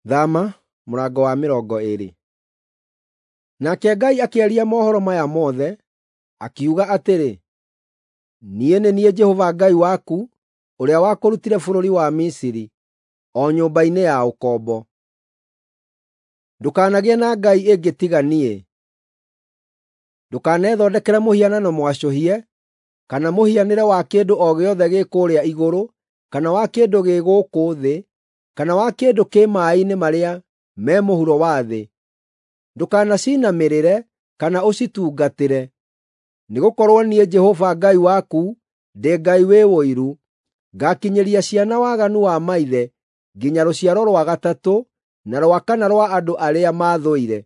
Thama mũrango wa 20. Nake Ngai akĩaria mohoro maya mothe, akiuga atĩrĩ, “Niĩ nĩ niĩ Jehova Ngai waku, ũrĩa wakũrutire bũrũri wa Misiri, o nyũmba-inĩ ya ũkombo. Ndũkanagĩe na ngai ĩngĩ tiga niĩ. Ndũkanethondekere mũhianano mwacũhie, kana mũhianĩre wa kĩndũ o gĩothe gĩ kũrĩa igũrũ, kana wa kĩndũ gĩ gũkũ thĩ, kana wa kĩndũ kĩ maaĩ-inĩ marĩa me mũhuro wa thĩ. Ndũkanacinamĩrĩre kana ũcitungatĩre, nĩgũkorwo niĩ Jehova Ngai waku ndĩ Ngai wĩ ũiru, ngakinyĩria ciana waganu wa maithe nginya rũciaro rwa gatatũ na rwa kana rwa andũ arĩa maathũire,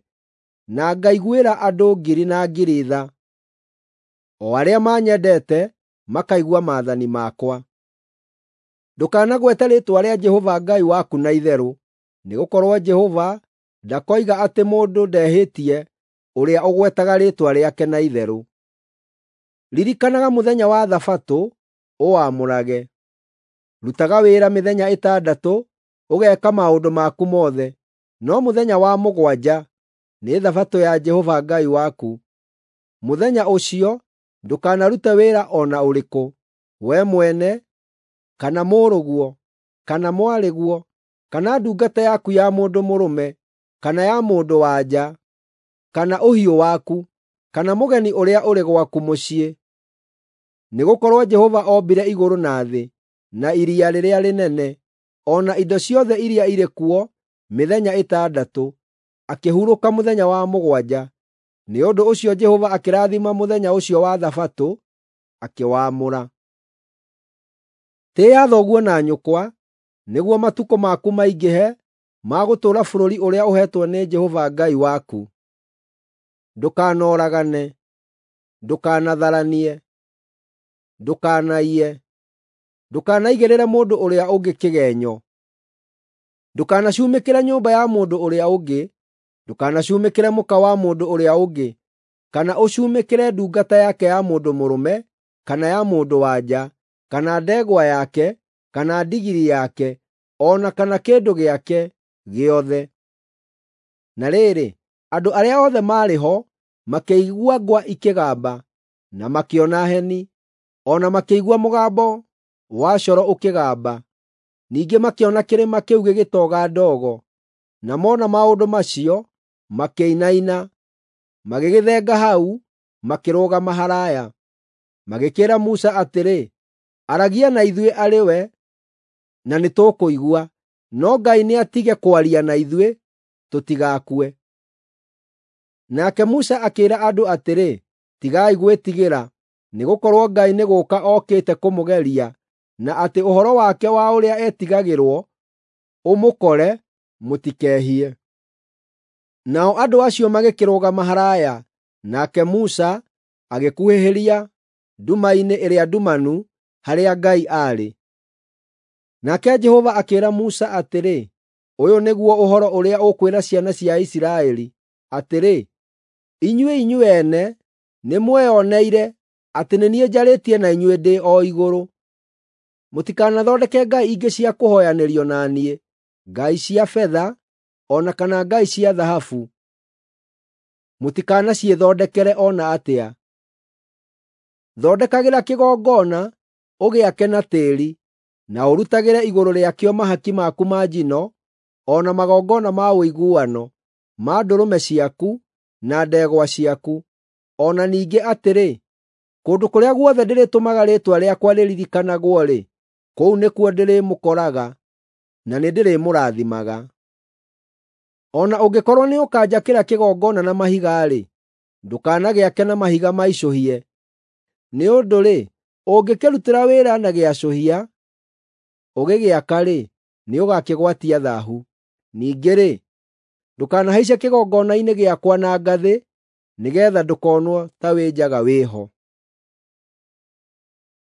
na ngaiguĩra andũ ngiri na ngiri tha, o arĩa manyendete makaigua maathani makwa. Ndũkanagwete rĩĩtwa rĩa Jehova Ngai waku na itherũ, nĩgũkorwo Jehova ndakoiga atĩ mũndũ ndehĩtie ũrĩa ũgwetaga rĩĩtwa rĩake na itherũ. Ririkanaga mũthenya wa Thabatũ ũwamũrage. Rutaga wĩra mĩthenya ĩtandatũ, ũgeeka maũndũ maku mothe, no mũthenya wa mũgwanja nĩ Thabatũ ya Jehova Ngai waku. Mũthenya ũcio ndũkanarute wĩra o na ũrĩkũ, wee mwene, kana mũrũguo, kana mwarĩguo, kana ndungata yaku ya mũndũ mũrũme, kana ya mũndũ-wa-nja, kana ũhiũ waku, kana mũgeni ũrĩa ũrĩ gwaku mũciĩ. Nĩgũkorwo Jehova ombire igũrũ na thĩ, na iria rĩrĩa rĩnene, o na indo ciothe iria irĩ kuo mĩthenya ĩtandatũ, akĩhurũka mũthenya wa mũgwanja. Nĩ ũndũ ũcio Jehova akĩrathima mũthenya ũcio wa Thabatũ, akĩwaamũra. Tĩĩa thoguo na nyũkwa, nĩguo matukũ maku maingĩhe ma gũtũũra bũrũri ũrĩa ũheetwo nĩ Jehova Ngai waku. Ndũkanoragane. Ndũkanatharanie. Ndũkanaiye. Ndũkanaigĩrĩre mũndũ ũrĩa ũngĩ kĩgeenyo. Ndũkanacumĩkĩre nyũmba ya mũndũ ũrĩa ũngĩ. Ndũkanacumĩkĩre mũka wa mũndũ ũrĩa ũngĩ, kana ũcumĩkĩre ndungata yake ya mũndũ mũrũme kana ya mũndũ-wa-nja, kana ndegwa yake, kana ndigiri yake, o na kana kĩndũ gĩake gĩothe. Na rĩrĩ, andũ arĩa othe maarĩ ho makĩigua ngwa ikĩgamba, na makĩona heni, o na makĩigua mũgambo wa coro ũkĩgamba. Ningĩ makĩona kĩrĩma kĩu gĩgĩtoga ndogo, na mona maũndũ macio, makĩinaina, magĩgĩthenga hau, makĩrũgama haraaya. Magĩkĩĩra Musa atĩrĩ, “Aragia na ithuĩ arĩ we, na nĩtũkũigua, no Ngai nĩatige kwaria na ithuĩ, tũtigakue.” Nake Musa akĩĩra andũ atĩrĩ, “Tigai gwĩtigĩra, nĩgũkorwo Ngai nĩ gũũka okĩte kũmũgeria, na atĩ ũhoro wake wa ũrĩa etigagĩrwo ũmũkore, mũtikehie.” Nao andũ acio magĩkĩrũgama haraaya, nake Musa agĩkuhĩhĩria nduma-inĩ ĩrĩa ndumanu harĩa Ngai aarĩ. Nake Jehova akĩĩra Musa atĩrĩ, “Ũyũ nĩguo ũhoro ũrĩa ũkwĩra ciana cia Isiraeli, atĩrĩ, ‘Inyuĩ inyuĩ ene nĩmweyoneire atĩ nĩ niĩ njarĩtie na inyuĩ ndĩ o igũrũ. Mũtikanathondeke ngai ingĩ cia kũhooyanĩrio na niĩ, ngai cia betha o na kana ngai cia thahabu. Mũtikanaciĩthondekere o na atĩa. Thondekagĩra kĩgongona, ũgĩake na tĩĩri, na ũrutagĩre igũrũ rĩakĩo mahaki maku ma njino o na magongona ma ũiguano ma ndũrũme ciaku na ndegwa ciaku. O na ningĩ atĩrĩ, kũndũ kũrĩa guothe ndĩrĩtũmaga rĩĩtwa rĩakwa rĩririkanagwo-rĩ, kũu nĩkuo ndĩrĩmũkoraga na nĩndĩrĩmũrathimaga. O na ũngĩkorwo nĩũkanjakĩra kĩgongona na mahiga-rĩ, ndũkanagĩake na mahiga maicũhie. Nĩ ũndũ-rĩ, ũngĩkĩrutĩra wĩra na gĩacũhia ũgĩgĩaka-rĩ, nĩũgakĩgwatia thaahu. Ningĩ-rĩ, ndũkanahaice kĩgongona-inĩ gĩakwa na ngathĩ, nĩgeetha ndũkonwo ta wĩ njaga wĩ ho.”